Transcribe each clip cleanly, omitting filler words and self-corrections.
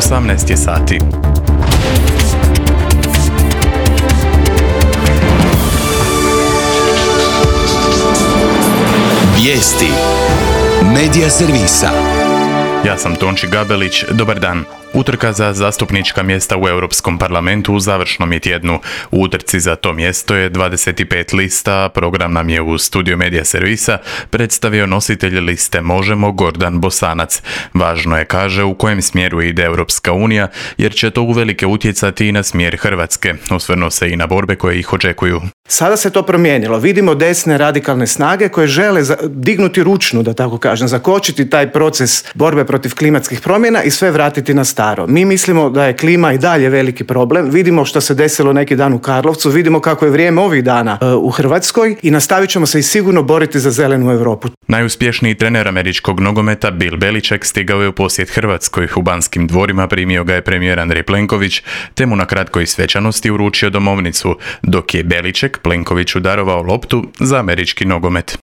18 je sati. Vijesti Medija servisa. Ja sam Tonči Gabelić, dobar dan. Utrka za zastupnička mjesta u Europskom parlamentu u završnom je tjednu. U utrci za to mjesto je 25 lista, program nam je u studiju Medija servisa predstavio nositelj liste Možemo Gordan Bosanac. Važno je, kaže, u kojem smjeru ide Europska unija, jer će to uvelike utjecati i na smjer Hrvatske. Osvrnuo se i na borbe koje ih očekuju. Sada se to promijenilo. Vidimo desne radikalne snage koje žele dignuti ručnu, da tako kažem, zakočiti taj proces borbe protiv klimatskih promjena i sve vratiti na staro. Mi mislimo da je klima i dalje veliki problem. Vidimo što se desilo neki dan u Karlovcu, vidimo kako je vrijeme ovih dana u Hrvatskoj i nastavit ćemo se i sigurno boriti za zelenu Europu. Najuspješniji trener američkog nogometa Bill Belichick stigao je u posjet Hrvatskoj. U Banskim dvorima primio ga je premijer Andrej Plenković, te mu na kratkoj svečanosti uručio domovnicu, dok je Belichick Plenkoviću darovao loptu za američki nogomet.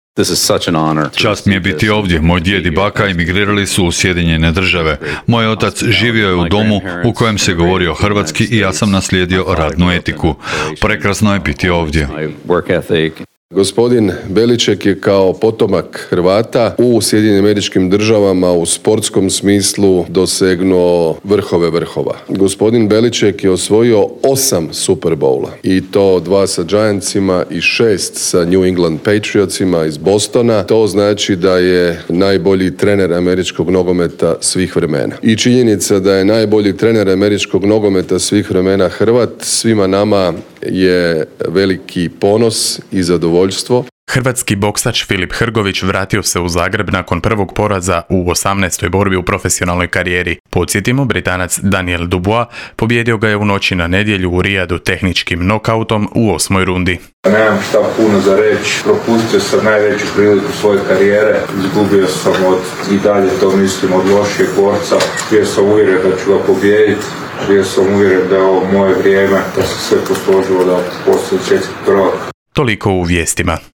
Čast mi je biti ovdje. Moj djed i baka emigrirali su u Sjedinjene Države. Moj otac živio je u domu u kojem se govorio hrvatski i ja sam naslijedio radnu etiku. Prekrasno je biti ovdje. Gospodin Belichick je kao potomak Hrvata u Sjedinjenim Američkim Državama u sportskom smislu dosegnuo vrhove vrhova. Gospodin Belichick je osvojio 8 Super Bowla i to 2 sa Giantsima i 6 sa New England Patriotsima iz Bostona. To znači da je najbolji trener američkog nogometa svih vremena. I činjenica da je najbolji trener američkog nogometa svih vremena Hrvat, svima nama je veliki ponos i zadovoljstvo. Hrvatski boksač Filip Hrgović vratio se u Zagreb nakon prvog poraza u 18. borbi u profesionalnoj karijeri. Podsjetimo, Britanac Daniel Dubois pobjedio ga je u noći na nedjelju u Rijadu tehničkim nokautom u 8. rundi. Nemam šta puno za reći, propustio sam najveću priliku svoje karijere, izgubio sam i dalje to mislim od lošijeg borca, bio sam uvjeren da ću ga pobijediti. Bio sam uvjeren da je ovo moje vrijeme, da se sve posložilo da postoji svjetski prvak. Toliko u vijestima.